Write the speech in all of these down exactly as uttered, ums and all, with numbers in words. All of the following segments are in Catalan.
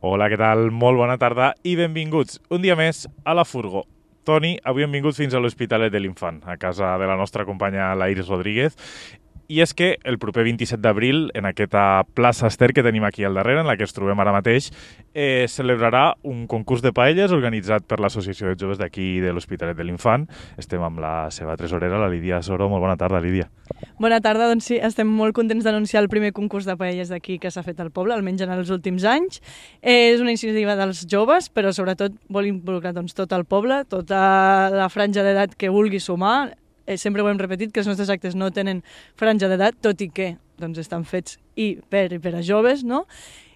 Hola, què tal? Molt bona tarda i benvinguts un dia més a la Furgo. Toni, avui hem vingut fins a l'Hospitalet de l'Infant, a casa de la nostra companya la Iris Rodríguez. I és que el proper vint-i-set d'abril, en aquesta plaça Ester que tenim aquí al darrere, en la que ens trobem ara mateix, eh, celebrarà un concurs de paelles organitzat per l'Associació de Joves d'aquí de l'Hospitalet de l'Infant. Estem amb la seva tresorera, la Lídia Soro. Molt bona tarda, Lídia. Bona tarda, doncs sí, estem molt contents d'anunciar el primer concurs de paelles d'aquí que s'ha fet al poble, almenys en els últims anys. Eh, és una iniciativa dels joves, però sobretot vol involucrar doncs, tot el poble, tota la franja d'edat que vulgui sumar. Eh, sempre ho hem repetit, que els nostres actes no tenen franja d'edat, tot i que doncs, estan fets i per, i per a joves, no?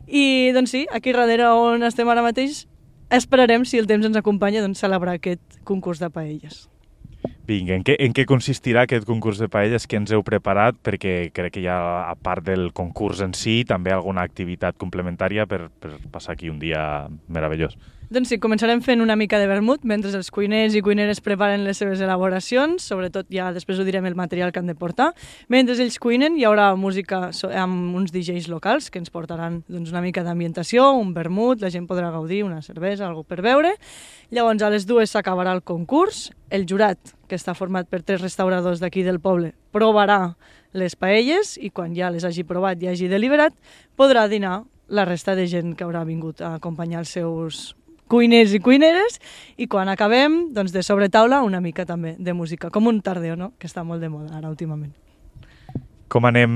I doncs sí, aquí darrere on estem ara mateix, esperarem, si el temps ens acompanya, doncs, celebrar aquest concurs de paelles. Vinga, en què, en què consistirà aquest concurs de paelles que ens heu preparat? Perquè crec que hi ha, a part del concurs en si, també alguna activitat complementària per, per passar aquí un dia meravellós. Doncs sí, començarem fent una mica de vermut mentre els cuiners i cuineres preparen les seves elaboracions, sobretot ja després ho direm el material que han de portar. Mentre ells cuinen hi haurà música amb uns D Js locals que ens portaran doncs, una mica d'ambientació, un vermut, la gent podrà gaudir, una cervesa, alguna per beure. Llavors a les dues s'acabarà el concurs, el jurat, que està format per tres restauradors d'aquí del poble, provarà les paelles i quan ja les hagi provat i hagi deliberat podrà dinar la resta de gent que haurà vingut a acompanyar els seus cuiners i cuineres, i quan acabem, doncs de sobretaula, una mica també de música, com un tardeo, no?, que està molt de moda ara últimament. Com anem,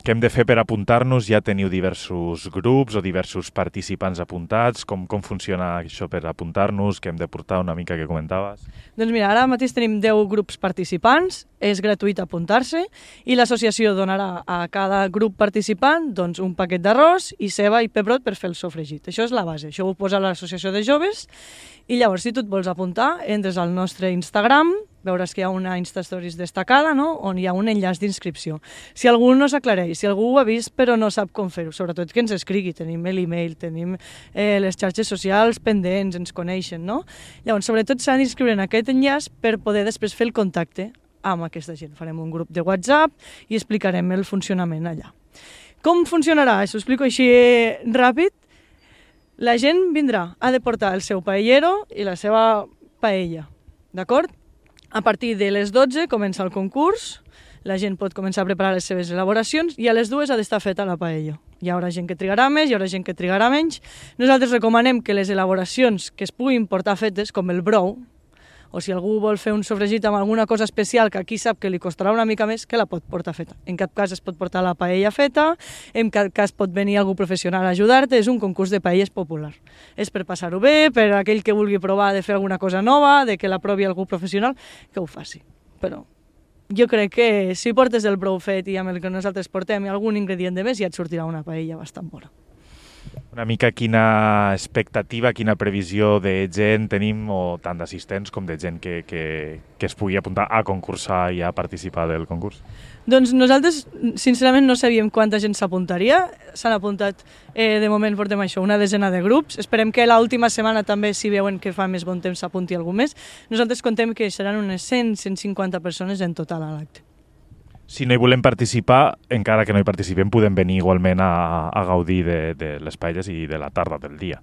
què hem de fer per apuntar-nos? Ja teniu diversos grups o diversos participants apuntats? Com, com funciona això per apuntar-nos? Què hem de portar? Una mica que comentaves. Doncs mira, ara mateix tenim deu grups participants, és gratuït apuntar-se i l'associació donarà a cada grup participant doncs, un paquet d'arròs i ceba i pebrot per fer el sofregit. Això és la base, això ho posa l'associació de joves i llavors si tu et vols apuntar entres al nostre Instagram, veuràs que hi ha una Instastories destacada, no?, on hi ha un enllaç d'inscripció. Si algú no s'aclareix, si algú ho ha vist però no sap com fer-ho, sobretot que ens escrigui, tenim l'email, tenim eh, les xarxes socials pendents, ens coneixen, no? Llavors, sobretot s'han d'inscriure en aquest enllaç per poder després fer el contacte amb aquesta gent. Farem un grup de WhatsApp i explicarem el funcionament allà. Com funcionarà? Això ho explico així ràpid. La gent vindrà, ha de portar el seu paellero i la seva paella, d'acord? A partir de les dotze comença el concurs, la gent pot començar a preparar les seves elaboracions i a les dues ha d'estar feta la paella. Hi haurà gent que trigarà més, hi haurà gent que trigarà menys. Nosaltres recomanem que les elaboracions que es puguin portar fetes, com el brou, o si algú vol fer un sofregit amb alguna cosa especial que aquí sap que li costarà una mica més, que la pot portar feta. En cap cas es pot portar la paella feta, en cap cas pot venir algú professional a ajudar-te, és un concurs de paelles popular. És per passar-ho bé, per aquell que vulgui provar de fer alguna cosa nova, de que la provi algú professional, que ho faci. Però jo crec que si portes el brou fet i amb el que nosaltres portem i algun ingredient de més, ja et sortirà una paella bastant bona. Una mica quina expectativa, quina previsió de gent tenim, o tant d'assistents com de gent que, que, que es pugui apuntar a concursar i a participar del concurs? Doncs nosaltres, sincerament, no sabíem quanta gent s'apuntaria. S'han apuntat, eh, de moment portem això, una desena de grups. Esperem que l'última setmana també, si veuen que fa més bon temps, s'apunti algú més. Nosaltres contem que seran unes cent a cent cinquanta persones en total a l'acte. Si no hi volem participar, encara que no hi participem, podem venir igualment a, a gaudir de, de les paelles i de la tarda del dia.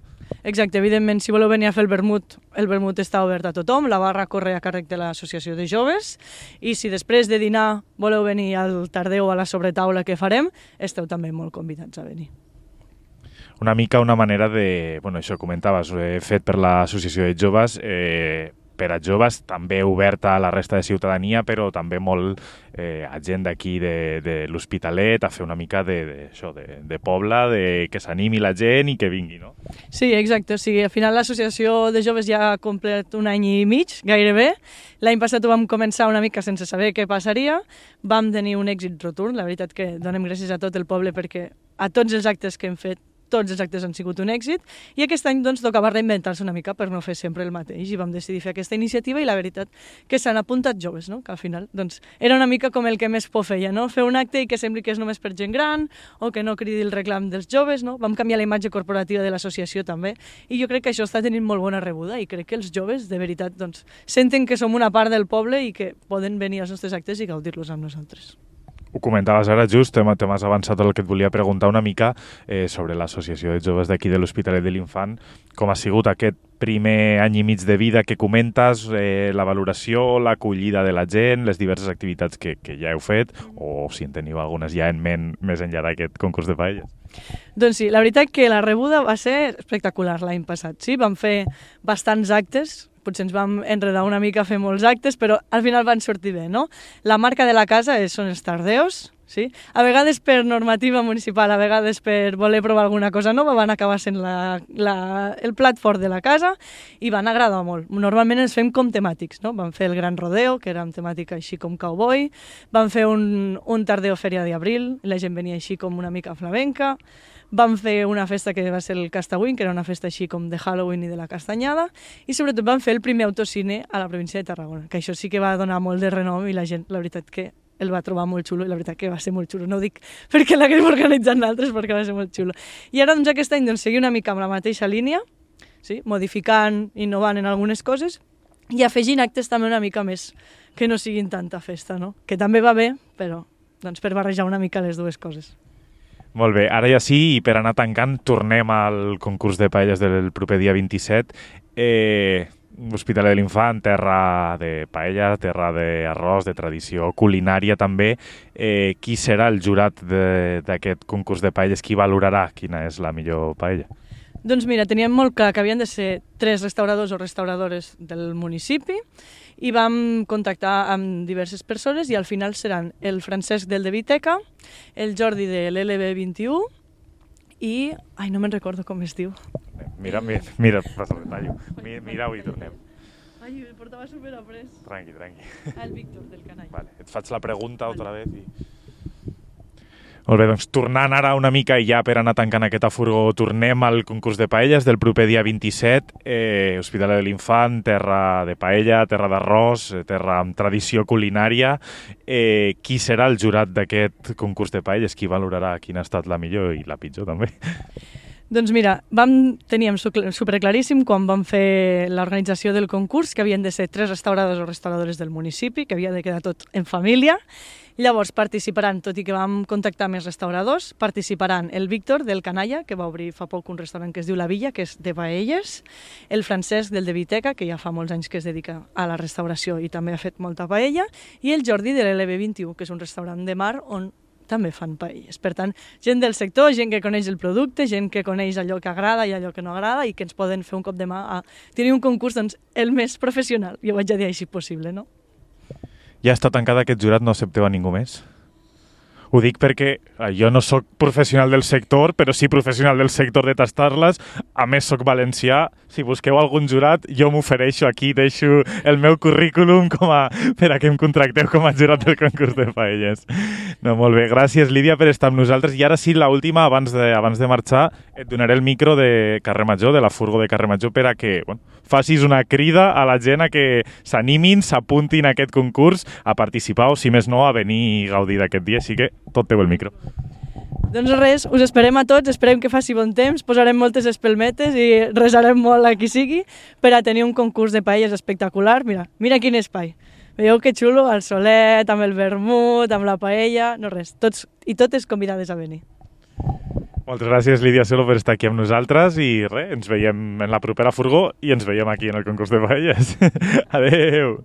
Exacte, evidentment, si voleu venir a fer el vermut, el vermut està obert a tothom, la barra corre a càrrec de l'Associació de Joves, i si després de dinar voleu venir al tardeu a la sobretaula que farem, esteu també molt convidats a venir. Una mica una manera de, bueno, això comentaves, eh, fet per l'Associació de Joves, eh, per a joves, també oberta a la resta de ciutadania, però també molt eh, a gent d'aquí de, de l'Hospitalet a fer una mica de, de, això, de, de poble, de que s'animi la gent i que vingui, no? Sí, exacte. O sigui, al final l'associació de joves ja ha complert un any i mig, gairebé. L'any passat ho vam començar una mica sense saber què passaria. Vam tenir un èxit rotund. La veritat que donem gràcies a tot el poble perquè a tots els actes que hem fet tots els actes han sigut un èxit, i aquest any doncs tocava reinventar-se una mica per no fer sempre el mateix, i vam decidir fer aquesta iniciativa, i la veritat que s'han apuntat joves, no? Que al final doncs, era una mica com el que més por feia, no? Fer un acte i que sembli que és només per gent gran, o que no cridi el reclam dels joves, no? Vam canviar la imatge corporativa de l'associació també, i jo crec que això està tenint molt bona rebuda, i crec que els joves, de veritat, doncs, senten que som una part del poble i que poden venir als nostres actes i gaudir-los amb nosaltres. Ho comentaves ara just, te m'has avançat el que et volia preguntar una mica eh, sobre l'associació de joves d'aquí de l'Hospitalet de l'Infant. Com ha sigut aquest primer any i mig de vida que comentes, eh, la valoració, l'acollida de la gent, les diverses activitats que, que ja heu fet, o si en teniu algunes ja en ment més enllà d'aquest concurs de paelles? Doncs sí, la veritat que la rebuda va ser espectacular l'any passat. Sí, vam fer bastants actes, potser ens vam enredar una mica a fer molts actes, però al final van sortir bé, no? La marca de la casa és, són els tardeos, sí? A vegades per normativa municipal, a vegades per voler provar alguna cosa nova, van acabar sent la, la, el plat fort de la casa i van agradar molt. Normalment ens fem com temàtics, no? Vam fer el Gran Rodeo, que era amb temàtica així com cowboy, vam fer un, un tardeo fèria d'abril, la gent venia així com una mica flamenca, vam fer una festa que va ser el Castawin, que era una festa així com de Halloween i de la castanyada, i sobretot vam fer el primer autocine a la província de Tarragona, que això sí que va donar molt de renom i la gent, la veritat que el va trobar molt xulo, i la veritat que va ser molt xulo. No ho dic perquè l'haguem organitzat nosaltres, perquè va ser molt xulo. I ara, doncs, aquest any, doncs, seguir una mica amb la mateixa línia, sí? Modificant, innovant en algunes coses, i afegint actes també una mica més, que no siguin tanta festa, no? Que també va bé, però doncs, per barrejar una mica les dues coses. Molt bé, ara ja sí, i per anar tancant, tornem al concurs de paelles del proper dia vint-i-set. Eh, L'Hospitalet de l'Infant, terra de paella, terra d'arròs, de tradició culinària també. Eh, qui serà el jurat d'aquest concurs de paelles? Qui valorarà quina és la millor paella? Doncs mira, teníem molt clar que havien de ser tres restauradors o restauradores del municipi i vam contactar amb diverses persones i al final seran el Francesc del de Viteca, el Jordi de l'L B vint-i-u i... Ai, no me'n recordo com es diu. Mira, mira, mira, passa el detallo. Mirau i tornem. Ai, el portava superaprès. Tranqui, tranqui. El Víctor, del Canalla. Vale, et faig la pregunta vale. Otra vez i... Molt bé, doncs tornant ara una mica i ja per anar tancant aquest afurgó, tornem al concurs de paelles del proper dia vint-i-set. Eh, Hospitalet de l'Infant, terra de paella, terra d'arròs, terra amb tradició culinària. Eh, qui serà el jurat d'aquest concurs de paelles? Qui valorarà quina ha estat la millor i la pitjor també? Doncs mira, vam, teníem superclaríssim quan vam fer l'organització del concurs que havien de ser tres restauradors o restauradores del municipi, que havia de quedar tot en família. Llavors participaran, tot i que vam contactar més restauradors, participaran el Víctor del Canalla, que va obrir fa poc un restaurant que es diu La Villa, que és de paelles, el Francesc del de Viteca, que ja fa molts anys que es dedica a la restauració i també ha fet molta paella, i el Jordi de l'L B vint-i-u, que és un restaurant de mar on també fan paelles. Per tant, gent del sector, gent que coneix el producte, gent que coneix allò que agrada i allò que no agrada i que ens poden fer un cop de mà a tenir un concurs doncs, el més professional, jo vaig a dir així possible, no? Ja està tancat aquest jurat, no accepteu a ningú més? Ho dic perquè jo no sóc professional del sector, però sí professional del sector de tastar-les. A més, sóc valencià. Si busqueu algun jurat, jo m'ofereixo aquí, deixo el meu currículum com a, per a que em contracteu com a jurat del concurs de paelles. No, molt bé. Gràcies, Lídia, per estar amb nosaltres. I ara sí, l'última, abans de, abans de marxar, et donaré el micro de Carrer Major, de la furgo de Carrer Major, per a que bueno, facis una crida a la gent a que s'animin, s'apuntin a aquest concurs, a participar o, si més no, a venir i gaudir d'aquest dia. Així que tot teu el micro. Doncs res, us esperem a tots, esperem que faci bon temps, posarem moltes espelmetes i resarem molt a qui sigui per a tenir un concurs de paelles espectacular. Mira, mira quin espai. Veieu que xulo, el solet, amb el vermut, amb la paella, no res, tots i totes convidades a venir. Moltes gràcies, Lídia Solo, per estar aquí amb nosaltres i res, ens veiem en la propera furgó i ens veiem aquí en el concurs de paelles. Adeu!